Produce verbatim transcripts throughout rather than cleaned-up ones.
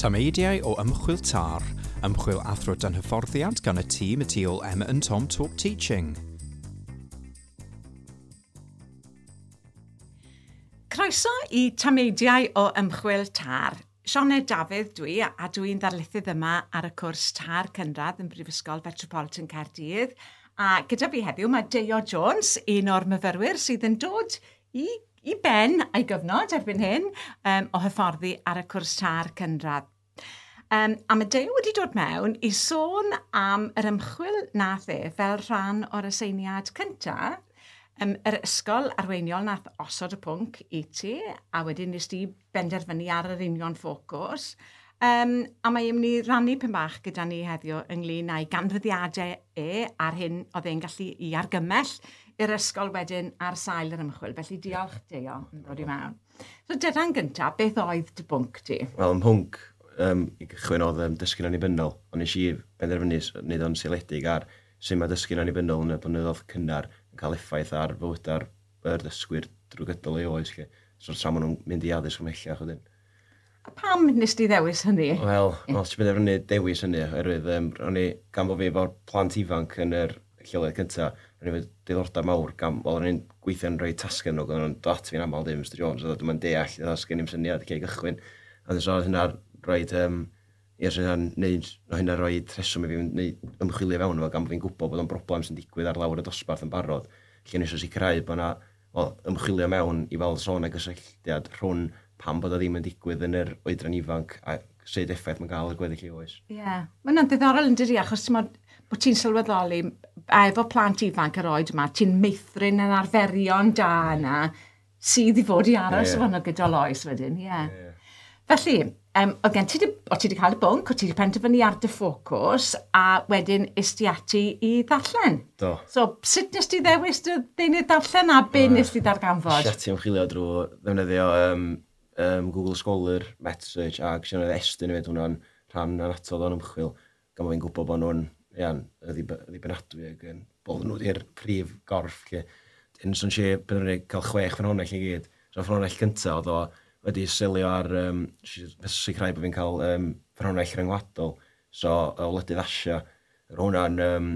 Tameidiau o Ymchwil TAR, ymchwil athro dan hyfforddiant gan y tîm y tu ôl Emma and Tom Talk Teaching. Croeso i Tameidiau o Ymchwil TAR. Sioned Dafydd dwi, a dwi'n ddarlithydd yma ar y cwrs TAR Cynradd yn Brifysgol Fetropolitan Caerdydd. A gyda fi heddiw mae Deio Jones, un o'r myfyrwyr sydd yn dod i, i ben a'i gyfnod erbyn hyn um, o hyfforddi ar y cwrs TAR Cynradd. Um, a mae Deio wedi dod mewn i sôn am yr ymchwil nath e fel rhan o'r aseiniad cyntaf, um, yr ysgol arweiniol nath osod y pwnc i ti, a wedyn nes di benderfynu ar yr union ffocws. Um, a mae e'n mynd i rannu pyn bach gyda ni heddiw ynglyn â'i ganfyddiadau e a'r hyn oedd e'n gallu i argymell i'r ysgol wedyn ar sail yr ymchwil. Felly diolch, Deio, am ddod i mewn. So dyna'n gyntaf, beth oedd dy bwnc ti? Wel, ym mhwnc um, i gychwyn oedd um, dysgu'n annibynnol, ond nes i benderfynu wneud o'n seiliedig ar sut mae dysgu'n annibynnol yn y blynyddoedd cynnar yn cael effaith ar fywydau'r yr dysgwyr drwy gydol eu oes. Lle. So tra maen nhw'n mynd i addysg ymhellach wedyn. A pam nes di ddewis hynny? Wel, wel, ti'n benderfynu dewis hynny, oherwydd um, o'n i, gan bod fi efo'r plant ifanc yn yr lleoliad cyntaf, o'n i efo diddordeb mawr, gan, wel, o'n i'n gweithio'n rhoi tasgau nhw, o'n dod at fi'n aml ddim, Mister Jones, oedd dwi'n deall, oedd sgen i'm syniad lle i gychwyn. A so oedd hynna'n rhoid, um, ie, so hynna'n neud, o hynna'n rhoi rheswm i fi wneud ymchwilio fewn efo, gan bod fi'n gwybod bod o'n broblem sy'n digwydd ar lawr y dosbarth yn barod, lle nes o sicrhau bod yna, wel, ymchwilio mewn i weld sôn a gysylltiad rhwng pam bod o ddim yn digwydd yn yr oedran ifanc a sut effaith mae'n gael ar gweddill ei oes. Ie, yeah. Mae hwnna'n ddiddorol yn dydi, achos ti'n bod, bod ti'n sylweddoli, a efo plant ifanc yr oed yma, ti'n meithrin yn arferion da yna, sydd i fod i aros yeah. efo nhw gydol oes wedyn, ie. Yeah. Yeah. Felly, um, oedd gen ti, di, o ti wedi cael y bwnc, o ti wedi penderfynu ar dy ffocws, a wedyn is ti ati i ddarllen. Do. So, sut nes ti ddewis dy ddeunydd darllen a be uh, nes ti ddarganfod? Es ati ymchwilio drwy ddefnyddio um, um, Google Scholar, MetSearch, ac sy'n Estyn hefyd, hwnna'n rhan annatod o'n ymchwil, gan bod fi'n gwybod bod nhw'n iawn, ddibynadwy ac yn bod nhw wedi'r prif gorff. Lle. Dyn, so nes i benderfynu cael chwech ffynhonnell i gyd. So ffynhonnell cyntaf oedd o wedi selio ar, um, sicrhau bod fi'n cael um, ffynhonnell rhyngwladol, so o wledydd Asia. Roedd hwnna'n um,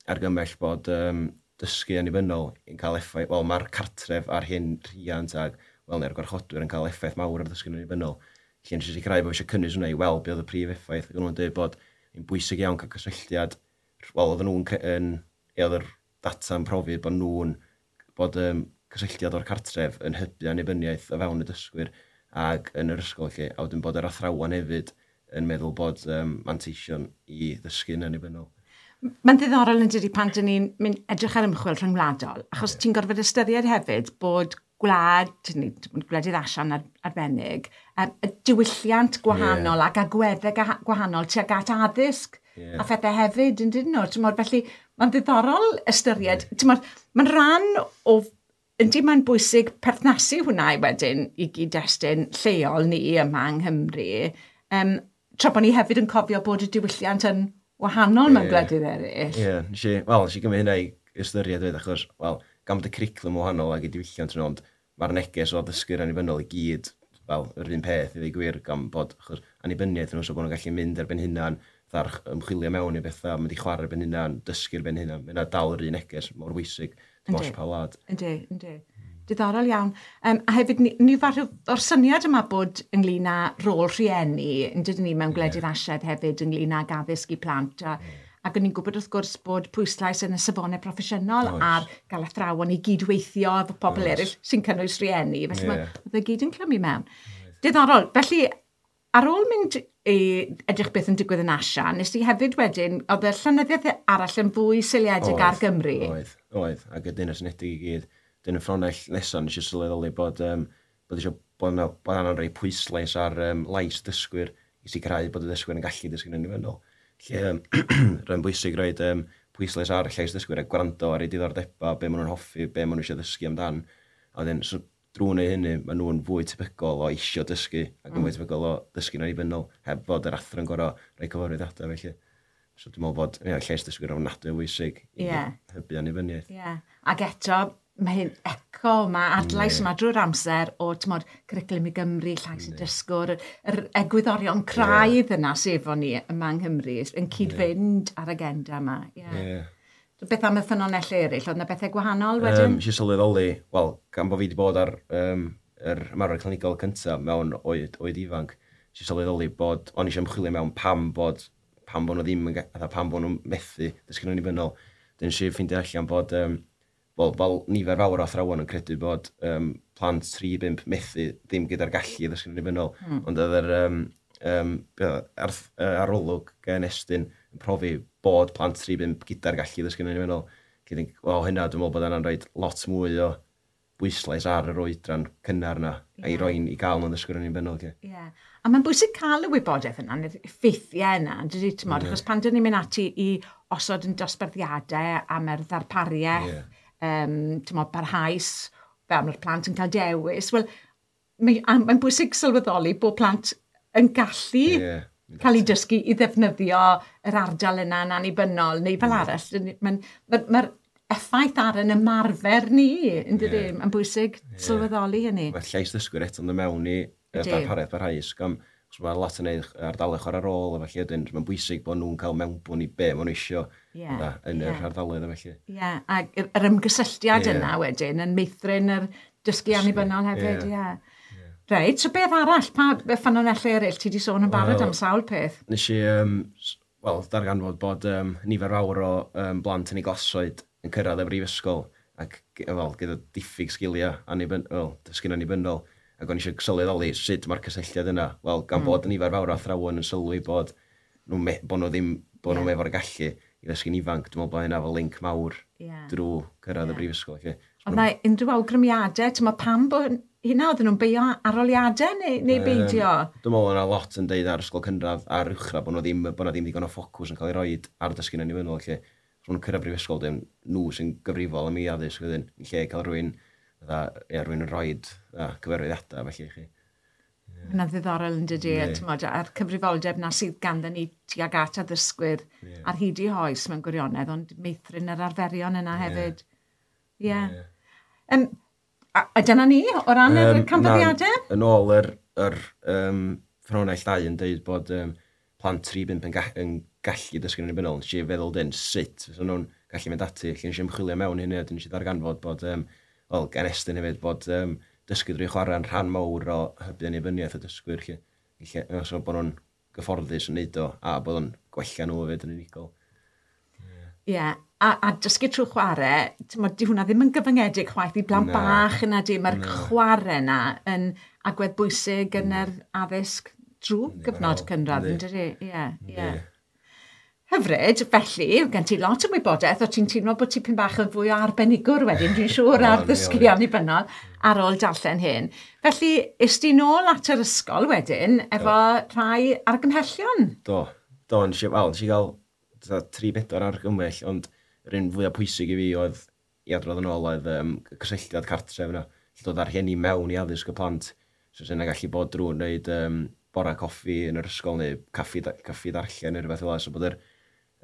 argymell bod um, dysgu annibynnol yn cael effaith, wel mae'r cartref ar hyn rhiant ag, wel, neu'r gwarchodwyr yn cael effaith mawr ar ddysgu annibynnol. Lle nes i sicrhau bod fi eisiau cynnwys hwnna i weld be oedd y prif effaith. Ac o'n nhw'n dweud bod yn bwysig iawn cael cysylltiad, wel, oedden nhw'n, yn, oedd yr data'n profi bod nhw'n, bod um, cysylltiad o'r cartref yn hybu annibyniaeth o fewn y dysgwyr ag yn yr ysgol lle, a wedyn bod yr athrawon hefyd yn meddwl bod um, manteision i ddysgu'n annibynnol. Mae'n ddiddorol yn dydi pan dyn ni'n mynd edrych ar ymchwil rhyngwladol, achos yeah. ti'n gorfod ystyried hefyd bod gwlad, gwledydd Asian arbennig, y diwylliant gwahanol yeah. ac agweddau gwahanol tuag at addysg yeah. a phethau hefyd yn dydyn nhw. T'mod, felly mae'n ddiddorol ystyried, yeah. t'mod, mae'n rhan o, yndi mae'n bwysig perthnasu hwnna wedyn i gyd-destun lleol ni yma yng Nghymru, um, tra bod ni hefyd yn cofio bod y diwylliant yn wahanol mewn yeah. gwledydd eraill. Ie, yeah, nes i, wel, nes i gymryd hynna i ystyried hefyd, achos, wel, gan bod y cwricwlwm wahanol ac y diwylliant yn ond, mae'r neges o ddysgu'r annibynnol i gyd, fel, yr un peth i ddweud gwir, gan bod, achos, annibyniaeth nhw, so bod nhw'n gallu mynd ar ben hunan, fatha'r ymchwilio mewn i bethau, mynd i chwarae ar ben hunan, dysgu ar ben hunan, mae yna dal yr un neges mor bwysig, dim ots pa wlad. Yndi, yndi. Diddorol iawn. Um, a hefyd, ni, ni farw o'r syniad yma bod ynglyn â rôl rhieni, yn dydyn ni mewn gwledydd yeah. Asiaidd hefyd ynglyn ag addysg i plant. A, yeah. Ac o'n i'n gwybod wrth gwrs bod pwyslais yn y safonau proffesiynol Oes. ar gael athrawon i gydweithio efo pobl eraill sy'n cynnwys rhieni. Felly yeah. mae oedd e gyd yn clymu mewn. Oes. Diddorol. Felly, ar ôl mynd i edrych beth yn digwydd yn Asia, nes ti hefyd wedyn, oedd y llenyddiaeth arall yn fwy seiliedig ar Gymru? Oedd, oedd. Ac y Deyrnas Unedig i gyd. Dyn y ffynhonnell nesaf nes i sylweddoli bod, um, bod eisiau bod yna, bod yna'n rhoi pwyslais ar um, lais dysgwyr i sicrhau bod y dysgwyr yn gallu dysgu'n annibynnol. Lle um, rhaid bwysig rhoi um, pwyslais ar llais dysgwyr a gwrando ar eu diddordebau, be maen nhw'n hoffi, be maen nhw eisiau ddysgu amdan. A wedyn, so, drwy wneud hynny, maen nhw'n fwy tebygol o isio dysgu ac yn mm. fwy tebygol o dysgu'n annibynnol, heb fod yr athro'n gorfod rhoi cyfarwyddiadau felly. So dwi'n meddwl bod yeah, llais dysgwyr ofnadwy o bwysig i yeah. hybu annibyniaeth. Yeah. Ac eto, mae hyn echo yma, adlais yma drwy'r amser o, t'mod, Cwricwlwm i Gymru, Llais y Dysgwr, yr egwyddorion craidd yeah. yna sef o ni yma yng Nghymru, yn cyd-fynd ar agenda yma. Yeah. Yeah. So, beth am y ffynonellau eraill? Oedd yna bethau gwahanol wedyn? Um, Nes i sylweddoli, wel, gan bod fi wedi bod ar um, yr ymarfer clinigol cyntaf mewn oed, oed ifanc, nes i sylweddoli bod, o'n i eisiau ymchwilio mewn pam bod, pam bod nhw ddim yn, fatha pam bod nhw'n methu dysgu'n annibynnol. Dyn nes i ffeindio allan bod, um, wel, fel nifer fawr o athrawon yn credu bod um, plant tri pump methu ddim gyda'r gallu i ddysgu'n annibynnol. Mm. Ond oedd yr um, um, ar, arolwg gen Estyn yn profi bod plant tri pump gyda'r gallu i ddysgu'n annibynnol. Wel, hynna, dwi'n meddwl bod yna'n rhoi lot mwy o bwyslais ar yr oedran cynnar yna, yeah. a i roi'n i gael nhw'n ddysgwyr annibynnol. Ie. Yeah. A mae'n bwysig cael y wybodaeth yna, neu'r ffeithiau yna, dydy, t'mod, yeah. achos pan dyn ni'n mynd ati i osod yn dosbarthiadau am yr ddarpariaeth, yeah. um, t'mod, barhaus, fel mae'r plant yn cael dewis, wel, mae'n mae bwysig sylweddoli bod plant yn gallu yeah. cael eu dysgu i ddefnyddio yr ardal yna yn annibynnol, neu fel yeah. arall. Mae'n ma, ma effaith ar yn ymarfer ni, yn dydy? Yeah. Mae'n bwysig yeah. sylweddoli hynny. Mae llais ddysgwyr eto'n dod mewn i darpariaeth barhaus, gan os mae lot yn neud ardaloedd chwarae rôl, a felly wedyn mae'n bwysig bod nhw'n cael mewnbwn i be maen nhw isio yeah. da, yn yeah. yr ardaloedd a felly. Ie, yeah. A yr ymgysylltiad yeah. yna wedyn yn meithrin yr dysgu annibynnol hefyd, ie. Yeah. Yeah. Reit, so beth arall, pa ffynonellau eraill? Ti di sôn yn barod well, am sawl peth? Nes i, um, wel, darganfod bod um, nifer fawr o um, blant yn ei glasoed yn cyrraedd y brifysgol ac wel, gyda diffyg sgiliau annibynnol, well, dysgu'n annibynnol, ac o'n eisiau sylweddoli sut mae'r cysylltiad yna. Wel, gan mm. bod nifer fawr o athrawon yn sylwi bod nhw, me, bod nhw ddim, bod nhw yeah. efo'r gallu i ddysgu'n ifanc, dwi'n meddwl bod hynna fel link mawr yeah. drwy cyrraedd yeah. y brifysgol. Oedd na unrhyw awgrymiadau, ti'n meddwl pam bod hynna, oedden nhw'n beio arholiadau neu, neu beidio? Um, dwi'n meddwl yna lot yn deud ar ysgol cynradd a'r uwchradd bod nhw ddim, bod nhw ddim digon o ffocws yn cael ei roed ar dysgu'n annibynnol. Lle, os nhw'n cyrraedd brifysgol, dim nhw sy'n gyfrifol am ei addysg wedyn, yn lle cael rhywun, fatha, ie, rhywun yn rhoid cyfarwyddiadau felly i chi. Yeah. Hwnna'n ddiddorol yn dydy, yeah. T'mod, a'r cyfrifoldeb na sydd ganddyn ni tuag at addysgwyr yeah. ar hyd i hoes mewn gwirionedd, ond meithrin yr arferion yna yeah. hefyd. Ie. Yeah. Yeah. Um, a, a dyna ni, o ran um, yr canfyddiadau? Na, yn ôl yr, yr um, ffynhonnell dau yn dweud bod um, plant tri pump yn, ga yn gallu dysgu'n annibynnol. Nes i feddwl dyn sut fysa nhw'n gallu mynd ati. Lle nes i ymchwilio mewn hynny, a nes i ddarganfod bod, um, wel, gan Estyn hefyd, bod um, dysgu drwy chwarae'n rhan mawr o hybu annibyniaeth y dysgwyr. Lle, lle, so bod nhw'n gyfforddus yn neud o, a bod nhw'n gwella nhw hefyd yn unigol. Ie, yeah. a, a dysgu trwy chwarae, t'mod, di hwnna ddim yn gyfyngedig chwaith i blant Na. bach yna di, mae'r Na. chwarae yna yn agwedd bwysig yn yr addysg drwy gyfnod Wel, cynradd, yn yndi. dydi? Ie, ie. Yndi. Hyfryd, felly, gen ti lot o wybodaeth, o ti'n teimlo bod ti pyn bach yn fwy o arbenigwr wedyn, dwi'n siŵr, ar O'n, ddysgu ie. annibynnol ar ôl darllen hyn. Felly, es di nôl at yr ysgol wedyn, efo rhai argymhellion? Do, do, nes i, wel, nes i gael fatha tri bedwar argymell, ond yr un fwyaf pwysig i fi oedd i adrodd yn ôl oedd um, cysylltiad cartref yna. Lle dod â'r rhieni mewn i addysg y plant. So sy'n gallu bod drwy wneud um, bora coffi yn yr ysgol neu caffi, caffi darllen neu rhywbeth fel 'na. So bod yr,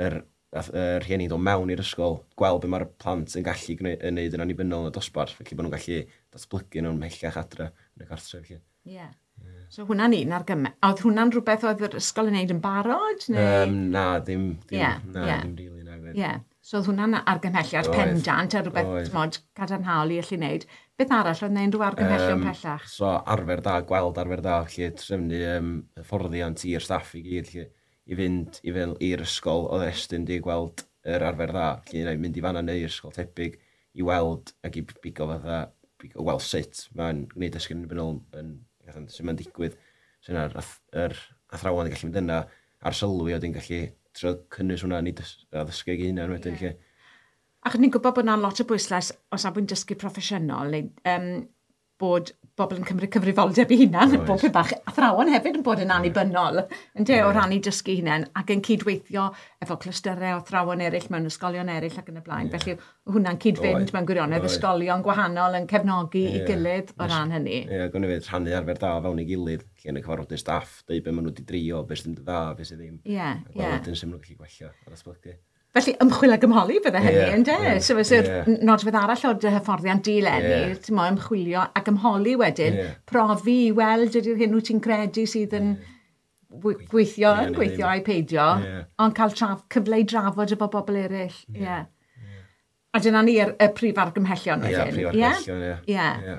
yr, yr rhieni'n dod mewn i'r ysgol, gweld be mae'r plant yn gallu gwneud, yn neud yn annibynnol yn y dosbarth, felly bod nhw'n gallu datblygu nhw'n mhellach adre yn y cartref. Felly. Ie. Yeah. So hwnna'n un argymell. A oedd hwnna'n rhywbeth oedd yr ysgol yn neud yn barod? Neu? Um, na, ddim, ddim, Ie, na, ie. ddim rili, na. Ie. Yeah. So oedd hwnna'n argymhelliad Oedd. pendant a rhywbeth, Oedd. t'mod, cadarnhaol i allu wneud. Beth arall oedd 'na unrhyw argymhellion Yym, pellach? So arfer da, gweld arfer da, felly trefnu um, hyfforddiant i'r staff i gyd, felly, i fynd i fel i'r ysgol oedd Estyn di gweld yr arfer dda, felly neu mynd i fanna neu i'r ysgol tebyg i weld ac i bigo fatha, bigo, weld sut mae'n gwneud dysgu annibynnol yn, yn, sut mae'n digwydd. So yna'r ath- yr athrawon yn gallu mynd yna ar sylwi a wedyn gallu trio cynnwys hwnna yn ei dys- addysgu ei hunan wedyn, Ie. yeah. Ac ni'n gwybod bod yna lot o bwyslais o safbwynt dysgu proffesiynol, neu um, bod bobl yn cymryd cyfrifoldeb eu hunan, Oes. bod peth bach athrawon hefyd yn bod yn annibynnol, ynde, o ran eu dysgu hunain, ac yn cydweithio efo clystyrau o athrawon eraill mewn ysgolion eraill ac yn y blaen. Ie. Felly hwnna'n cyd-fynd Oedd. mewn gwirionedd, Oedd. ysgolion gwahanol yn cefnogi i Ie. gilydd o Nes- ran hynny. Ie, gwni fyd rhannu arfer da o fewn ei gilydd, lle yn y cyfarfodydd staff, deud be maen nhw wedi drio, be sydd yn dda, be sydd ddim. Ie, A ie. gweld wedyn sut maen nhw'n gallu gwella a datblygu. Felly, ymchwil ag ymholi bydde hynny, yeah, ynde? Yeah, so, fyse'r yeah. nodwedd arall o'r dy hyfforddiant di leni, yeah. ti'n mo, ymchwilio ac ymholi wedyn, yeah. profi i weld ydy'r hyn wyt ti'n credu sydd yn yeah. gweithio, yeah, yn gweithio a'i peidio, yeah. ond cael traf, cyfle i drafod efo bobl eraill. Ie. Yeah. Yeah. A dyna ni'r y prif argymhellion Ie, wedyn. prif argymhellion, ie. Ie. Ie.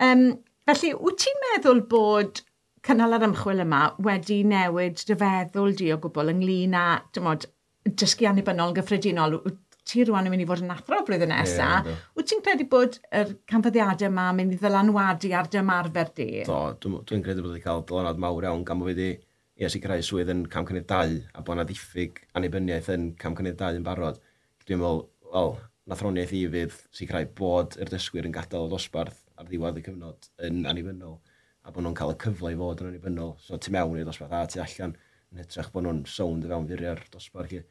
Um, felly, wyt ti'n meddwl bod cynnal yr ymchwil yma wedi newid dy feddwl di o gwbl ynglyn â, dim ond, dysgu annibynnol yn gyffredinol, wyt ti rwan yn mynd i fod yn athro blwyddyn nesaf, Ie, yndw. wyt ti'n credu bod yr canfyddiadau yma yn mynd i ddylanwadu ar dy ymarfer di? Do, dwi'n dwi'n credu bod wedi cael dylanwad mawr iawn gan bod fi wedi ie, sicrhau swydd yn cam cynnydd dau a bod yna ddiffyg annibyniaeth yn cam cynnydd dau yn barod. Dwi'n meddwl, wel, nathroniaeth i fydd sicrhau bod yr dysgwyr yn gadael y dosbarth ar ddiwedd y cyfnod yn annibynnol a bod nhw'n cael y cyfle i fod yn annibynnol. So tu mewn i'r dosbarth a tu allan yn hytrach bod nhw'n sownd i fewn furiau'r dosbarth. Lly.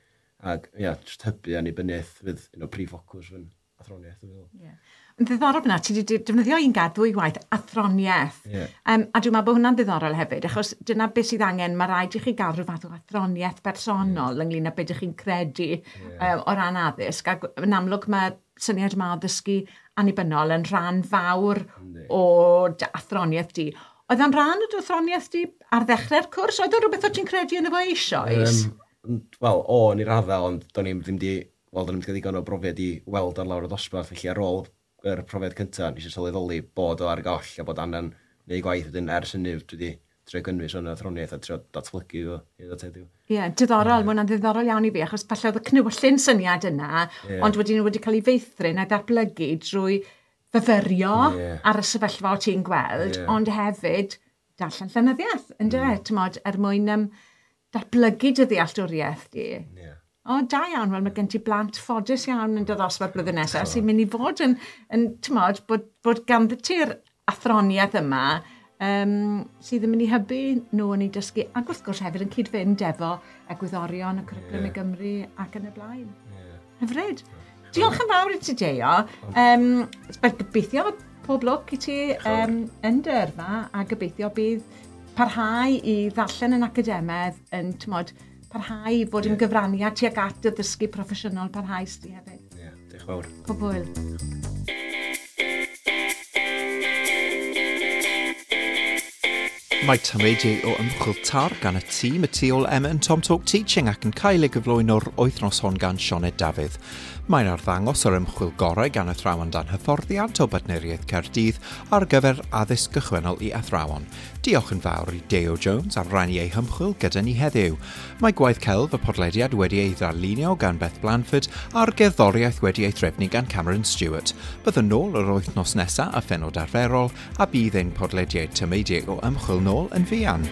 Ac ia, jyst hybu annibyniaeth fydd un o prif ffocws fy athroniaeth. Dwi'n meddwl. Ie. Yn ddiddorol fyna, ti wedi defnyddio un gair ddwy waith, athroniaeth. Ie. Um, a dwi'n meddwl bod hwnna'n ddiddorol hefyd, achos dyna beth sydd angen, mae rhaid i chi gael rhyw fath o athroniaeth bersonol ynglyn â beth ydych chi'n credu um, o ran addysg. Ac yn amlwg mae'r syniad yma o ddysgu annibynnol yn rhan fawr Yndi. o dy athroniaeth di. Oedd o'n rhan o dy athroniaeth di ar ddechrau'r cwrs? Oedd o'n rhywbeth o ti'n credu yn efo eisoes? Um, Wel, o, yn ei raddau, ond do'n i'm ddim di, wel, do'n i'm di cael digon o brofiad i weld ar lawr y dosbarth, felly ar ôl yr profiad cyntaf, nes i sylweddoli bod o ar goll a bod angen neud gwaith wedyn ers hynny, dwi wedi trio gynnwys o'n athroniaeth a trio datblygu fo hyd at heddiw. Ie, yeah, diddorol, yeah. Mae hwnna'n ddiddorol iawn i fi, achos falle oedd y cnewyllyn syniad yna, Ie. ond wedyn wedi cael ei feithrin a'i ddatblygu drwy fyfyrio Ie. ar y sefyllfa o ti'n gweld, Ie. ond hefyd darllen llenyddiaeth, yndyfe, mm. T'mod, er mwyn um, datblygu dy ddealltwriaeth di. Ie. O, da iawn, wel mae gen ti blant ffodus iawn yn dy ddosbarth blwyddyn nesaf sy'n mynd i fod yn, yn t'mod, bod, bod ganddo ti'r athroniaeth yma um, sydd yn mynd i hybu nhw yn eu dysgu, ac wrth gwrs hefyd yn cyd-fynd efo egwyddorion y cwricwlwm Ie. i Gymru ac yn y blaen. Ie. Hyfryd. Diolch yn fawr i ti, Deio. Um, gobeithio pob lwc i ti um, yn dy yrfa, a gobeithio bydd parhau i ddarllen yn academaidd yn, t'mod, parhau i fod yn Ie. gyfraniad tuag at dy ddysgu proffesiynol parhaus di hefyd. Ie, diolch yn fawr. Pob hwyl. Mae tameidiau o ymchwil TAR gan y tîm y tu ôl Emma and Tom Talk Teaching ac yn cael ei gyflwyno'r wythnos hon gan Sioned Dafydd. Mae'n arddangos yr ymchwil gorau gan athrawon dan hyfforddiant o Bartneriaeth Caerdydd ar gyfer addysg gychwynnol i athrawon. Diolch yn fawr i Deo Jones am rannu ei hymchwil gyda ni heddiw. Mae gwaith celf y podlediad wedi ei ddarlunio gan Beth Blanford a'r gerddoriaeth wedi ei threfnu gan Cameron Stewart. Byddwn nôl yr wythnos nesaf a phenod arferol a bydd ein podlediad tameidiau o ymchwil nôl yn fuan.